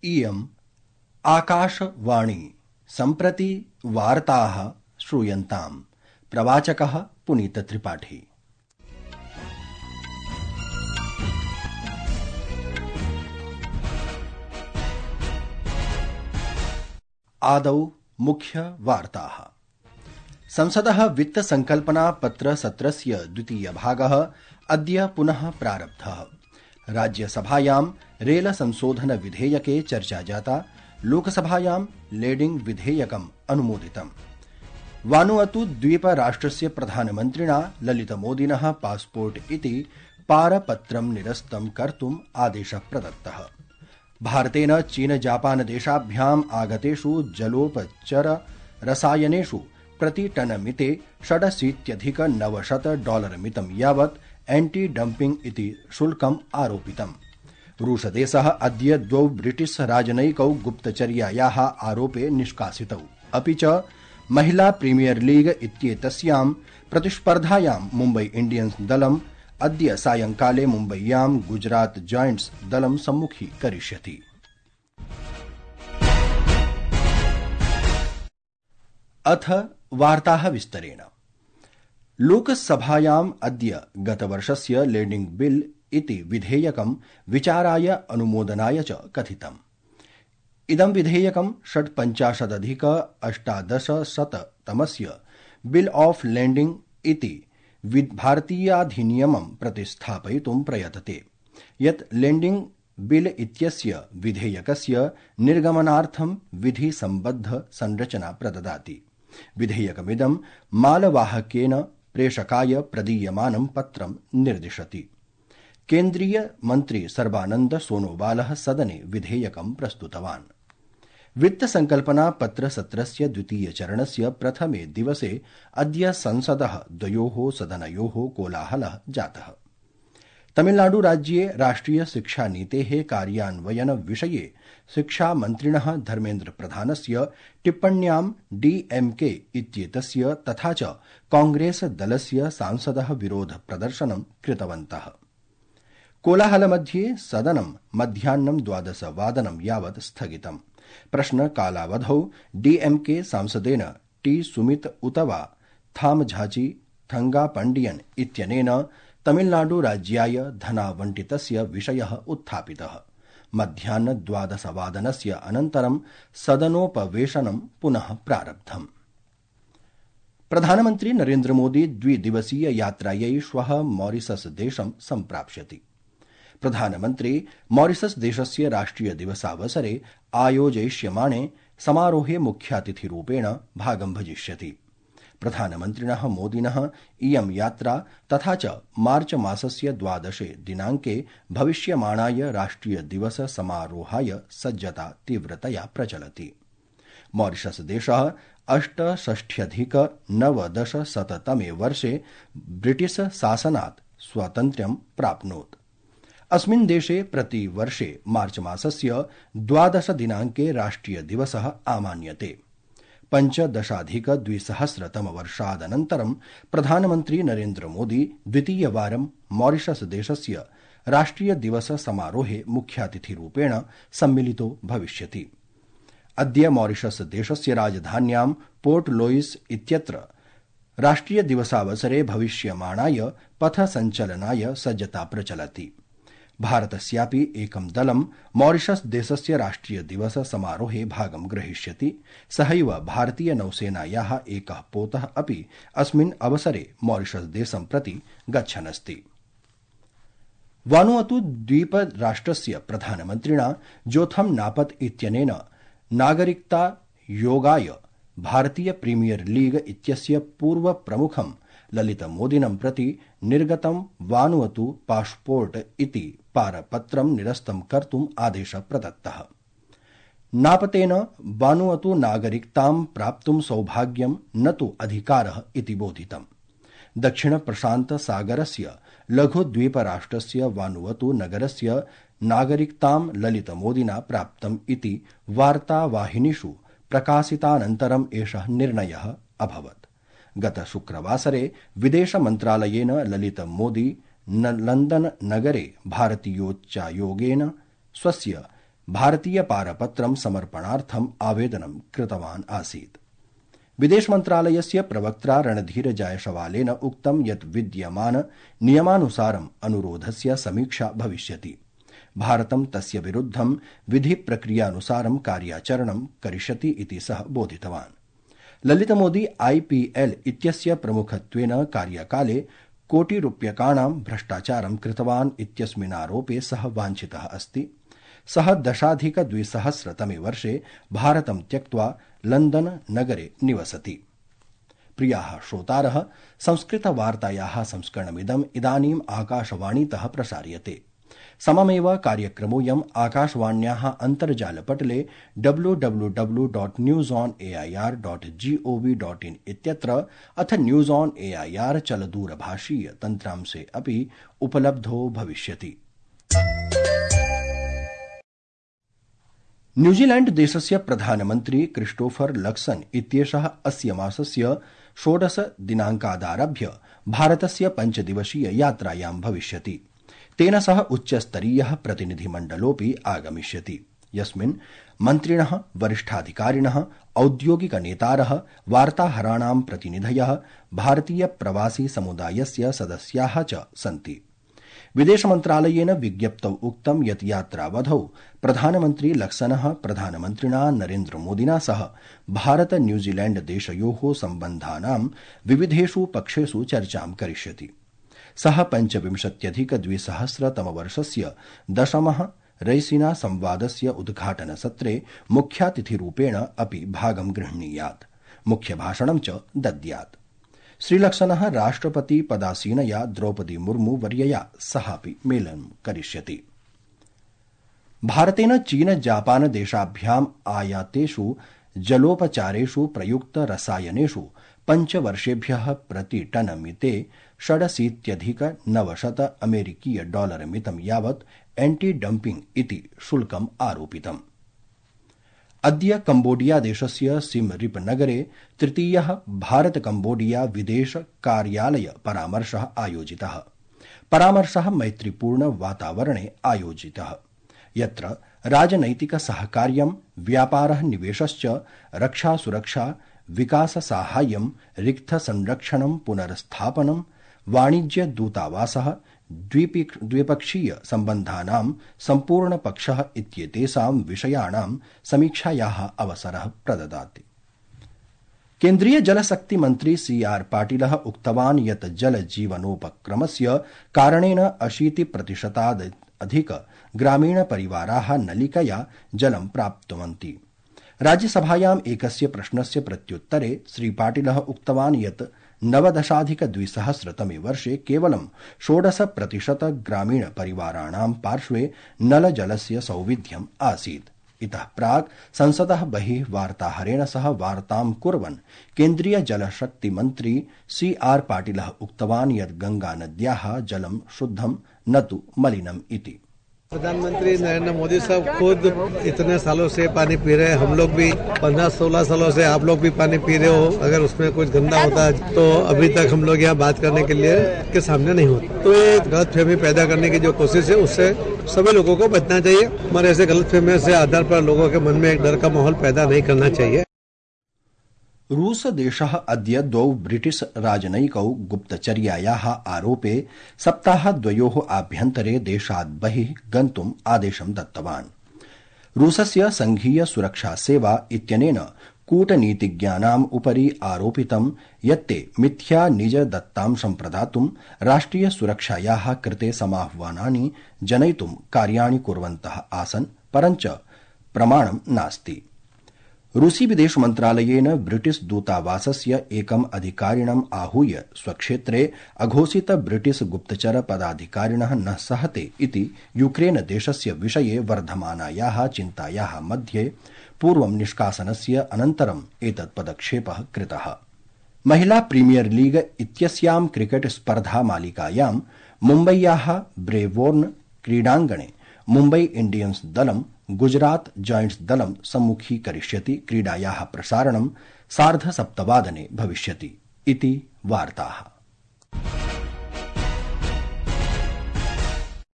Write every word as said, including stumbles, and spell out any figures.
इयम् आकाशवाणी सम्प्रति वार्ताः श्रूयन्ताम्। प्रवाचकः पुनीत त्रिपाठी। आदौ मुख्य वार्ताः। संसदः वित्त संकल्पना पत्र सत्रस्य द्वितीय भागः अद्य पुनः प्रारब्धः। राज्यसभायां रेल संशोधन विधेयके चर्चा जाता। लोकसभायां लेडिंग विधेयकम् अनुमोदितम्। वानुअतु द्वीप राष्ट्रस्य प्रधानमन्त्रिणा ललितमोदिनः पासपोर्ट इति पारपत्रं निरस्तं कर्तुम् आदेशः प्रदत्तः। भारतेन चीन जापान देशाभ्याम् आगतेषु जलोपचर रसायनेषु प्रतिटनमिते षडशीत्यधिक नवशत डॉलर मितं यावत् एंटी डम्पिंग इति शुल्कम् आरोपितम्। रूसदेशः अद्य द्वौ ब्रिटिश राजनयिकौ गुप्तचर्यायाः आरोपे निष्कासितौ। अपि च महिला प्रीमियर लीग इत्येतस्यां प्रतिस्पर्धायां मुम्बई इंडियन्स दलम् अद्य सायंकाले मुम्बय्यां गुजरात जायंट्स दलं सम्मुखीकरिष्यति। अथ वार्ताः विस्तरेण। लोकसभायाम् अद्य गतवर्षस्य लेंडिंग बिल इति विधेयकं विचाराय अनुमोदनाय च कथितम्। इदं विधेयकं षट्पञ्चाशदधिक अष्टादशशततमस्य बिल ऑफ लैंडिंग इति भारतीयाधिनियमं प्रतिस्थापयितुं प्रयतते, यत् लैंडिंग बिल इत्यस्य विधेयकस्य निर्गमनार्थं विधि सम्बद्ध संरचना प्रददाति। विधेयकमिदं मालवाहकेन प्रेषकाय प्रदीयमानं पत्रं निर्दिशति। केन्द्रीय मन्त्री सर्बानन्द सोनोवालः सदने विधेयकं प्रस्तुतवान्। वित्त संकल्पना पत्र सत्रस्य द्वितीय चरणस्य प्रथमे दिवसे अद्य संसदः द्वयोः सदनयोः कोलाहलः जातः। तमिलनाडु राज्ये राष्ट्रिय शिक्षा नीतेः कार्यान्वयन विषये शिक्षा मन्त्रिणः धर्मेन्द्र प्रधानस्य टिप्पण्यां डीएमके इत्येतस्य तथा च कांग्रेस दलस्य सांसदः विरोध प्रदर्शनं कृतवन्तः। कोलाहलमध्ये सदनं मध्याह्नं द्वादशवादनं यावत् स्थगितम्। प्रश्नकालावधौ डीएमके सांसदेन टी सुमित उतवा थामझाची थंगापंडियन इत्यनेन तमिलनाडु राज्याय धनावंटितस्य विषयः उत्थापितः। मध्याह्न द्वादशवादनस्य अनन्तरं सदनोपवेशनं पुनः प्रारब्धम्। प्रधानमन्त्री नरेन्द्र मोदी द्विदिवसीय यात्रायै श्वः मॉरिशस देशं सम्प्राप्स्यति। प्रधानमन्त्री मॉरिशस देशस्य राष्ट्रिय दिवसावसरे आयोजयिष्यमाणे समारोहे मुख्यातिथिरूपेण भागं भजिष्यति। प्रधानमन्त्रिणः मोदिनः इयं यात्रा तथा च मार्च मासस्य द्वादशे दिनाङ्के भविष्यमाणाय राष्ट्रिय दिवस समारोहाय सज्जता तीव्रतया प्रचलति। मॉरिशस देशः अष्टषष्ट्यधिक नवदशशततमे वर्षे ब्रिटिश शासनात् स्वातन्त्र्यं प्राप्नोत्। अस्मिन् देशे प्रतिवर्षे मार्च मासस्य द्वादश दिनाङ्के राष्ट्रिय दिवसः आमान्यते। पञ्चदशाधिक द्विसहस्रतमवर्षादनन्तरं प्रधानमन्त्री नरेन्द्र मोदी द्वितीयवारं मॉरिशस देशस्य राष्ट्रिय दिवस समारोहे मुख्यातिथिरूपेण सम्मिलितो भविष्यति। अद्य मॉरिशस देशस्य राजधान्यां पोर्ट लुइस इत्यत्र राष्ट्रिय दिवसावसरे भविष्यमाणाय पथसञ्चलनाय सज्जता प्रचलति। भारतस्यापि एकं दलं मॉरिशस देशस्य राष्ट्रिय दिवस समारोहे भागं ग्रहीष्यति। सहैव भारतीय नौसेनायाः एकः पोतः अपि अस्मिन् अवसरे मॉरिशस देशं प्रति गच्छनस्ति। वानुअतु द्वीप राष्ट्रस्य प्रधानमन्त्रिणा जोथम नापत इत्यनेन नागरिकता योगाय भारतीय प्रीमियर लीग इत्यस्य पूर्व प्रमुखं ललित मोदिनं प्रति निर्गतं वानुअतु पासपोर्ट इति पारपत्रं निरस्तं कर्तुम् आदेशः प्रदत्तः। नापतेन वानुअतु नागरिकतां प्राप्तुं सौभाग्यं न तु अधिकारः इति बोधितम्। दक्षिण प्रशान्त सागरस्य लघुद्वीपराष्ट्रस्य वानुअतु नगरस्य नागरिकतां ललित मोदिना प्राप्तम् इति वार्तावाहिनीषु प्रकाशितानन्तरम् एषः निर्णयः अभवत्। गत शुक्रवासरे विदेश मन्त्रालयेन ललित मोदी लंदन नगरे भारतीयोच्चायोगेन स्वस्य भारतीय पारपत्रं समर्पणार्थम् आवेदनं कृतवान् आसीत्। विदेश मन्त्रालयस्य प्रवक्त्रा रणधीर जायसवालेन उक्तं यत् विद्यमान नियमानुसारम् अनुरोधस्य समीक्षा भविष्यति। भारतं तस्य विरुद्धं विधि प्रक्रियानुसारं कार्याचरणं करिष्यति इति सः बोधितवान्। ललितमोदी आईपीएल इत्यस्य प्रमुखत्वेन कार्यकाले कोटिरूप्यकाणां भ्रष्टाचारं कृतवान् इत्यस्मिन्नारोपे सः वाञ्छितः अस्ति। सः दशाधिकद्विसहस्रतमे वर्षे भारतं त्यक्त्वा लण्डन नगरे निवसति। प्रियाः श्रोतारः, संस्कृतवार्तायाः संस्करणमिदम् इदानीम् आकाशवाणीतः प्रसार्यते। सममेव कार्यक्रमोऽयम् आकाशवाण्याः अन्तर्जालपटले W W W dot news on AIR dot gov dot in इत्यत्र अथ न्यूज ऑन एआईआर चलदूरभाषीय तन्त्रांशे अपि उपलब्धो भविष्यति। न्यूजीलैण्ड देशस्य प्रधानमन्त्री क्रिस्टोफर लक्सन इत्येषः अस्य मासस्य षोडश दिनाङ्कादारभ्य भारतस्य पञ्चदिवसीय यात्रायां भविष्यति। तेन सह उच्चस्तरीयः प्रतिनिधिमण्डलोऽपि आगमिष्यति, यस्मिन् मन्त्रिणः, वरिष्ठाधिकारिणः, औद्योगिकनेतारः, वार्ताहराणां प्रतिनिधयः, भारतीय प्रवासी समुदायस्य सदस्याः च सन्ति। विदेशमन्त्रालयेन विज्ञप्तौ उक्तं यत् यात्रावधौ प्रधानमन्त्री लक्सनः प्रधानमन्त्रिणा नरेन्द्रमोदिना सह भारत न्यूजीलैण्ड देशयोः सम्बन्धानां विविधेषु पक्षेषु चर्चां करिष्यति। सः पञ्चविंशत्यधिकद्विसहस्रतमवर्षस्य दशमः रैसीना संवादस्य उद्घाटनसत्रे मुख्यातिथिरूपेण अपि भागं गृह्णीयात्, मुख्यभाषणं च दद्यात्। श्रीलक्सनः राष्ट्रपति पदासीनया द्रौपदी मुर्मू वर्यया सहापि मेलनं करिष्यति। भारतेन चीन जापान देशाभ्याम् आयातेषु जलोपचारेषु प्रयुक्त रसायनेषु पञ्चवर्षेभ्यः प्रतिटनमिते षडशीत्यधिक नवशत अमेरिकीय डॉलर मितं यावत् एंटी डम्पिंग इति शुल्कम् आरोपितम्। अद्य कम्बोडिया देशस्य सिम रिप नगरे तृतीयः भारत कम्बोडिया विदेश कार्यालय परामर्शः आयोजितः। परामर्शः मैत्रीपूर्ण वातावरणे आयोजितः, यत्र राजनैतिक सहकार्यं, व्यापारः, निवेशश्च, रक्षा सुरक्षा, विकास साहाय्यं, रिक्त संरक्षणं, पुनर्स्थापनं, वाणिज्य दूतावासः, द्विपक्षीय सम्बन्धानां सम्पूर्णपक्षः इत्येतेषां विषयाणां समीक्षायाः अवसरः प्रददाति। केन्द्रीय जलशक्ति मन्त्री सी आर पाटिलः उक्तवान् यत् जल जीवनोपक्रमस्य कारणेन अशीति प्रतिशतादधिक ग्रामीण परिवाराः नलिकया जलं प्राप्नुवन्ति। राज्यसभायाम् एकस्य प्रश्नस्य प्रत्युत्तरे श्रीपाटिलः उक्तवान् यत् नवदशाधिकद्विसहस्रतमे वर्षे केवलं षोडश प्रतिशत ग्रामीण परिवाराणां पार्श्वे नलजलस्य सौविध्यम् आसीत्। इतः प्राक् संसदः बहिः वार्ताहरेण सह वार्तां कुर्वन् केन्द्रीय जलशक्ति मन्त्री सी आर पाटिलः उक्तवान् यत् गंगानद्याः जलं शुद्धं न तु मलिनम् इति। प्रधानमंत्री नरेंद्र मोदी साहब खुद इतने सालों से पानी पी रहे हैं, हम लोग भी पंद्रह सोलह सालों से आप लोग भी पानी पी रहे हो। अगर उसमें कुछ गंदा होता है तो अभी तक हम लोग यहाँ बात करने के लिए के सामने नहीं होता। तो ये गलतफहमी पैदा करने की जो कोशिश है उससे सभी लोगों को बचना चाहिए। हमारे ऐसे गलतफहमी से आधार पर लोगों के मन में एक डर का माहौल पैदा नहीं करना चाहिए। रूस देशः अद्य द्वौ ब्रिटिश राजनयिकौ गुप्तचर्यायाः आरोपे सप्ताहद्वयोः आभ्यन्तरे देशात् बहिः गन्तुम् आदेशं दत्तवान्। रूसस्य संघीय सुरक्षा सेवा इत्यनेन कूटनीतिज्ञानाम् उपरि आरोपितं यत् ते मिथ्या निज दत्तांशं प्रदातुं राष्ट्रिय सुरक्षायाः कृते समाह्वानानि जनयितुं कार्याणि कुर्वन्तः आसन्, परञ्च प्रमाणं नास्ति। रूसी विदेश मन्त्रालयेन ब्रिटिश दूतावासस्य एकम् अधिकारिणम् आहूय स्वक्षेत्रे अघोषित ब्रिटिश गुप्तचर पदाधिकारिणः न सहते इति यूक्रेन देशस्य विषये वर्धमानायाः चिन्तायाः मध्ये पूर्वं निष्कासनस्य अनन्तरम् एतत् पदक्षेपः कृतः। महिला प्रीमियर लीग इत्यस्यां क्रिकेट स्पर्धा मालिकायां मुम्बय्याः ब्रेवोर्न क्रीडाङ्गणे मुम्बई इंडियन्स दलं गुजरात जायंट्स दलं सम्मुखीकरिष्यति। क्रीडायाः प्रसारणं सार्धसप्तवादने भविष्यति इति वार्ताः।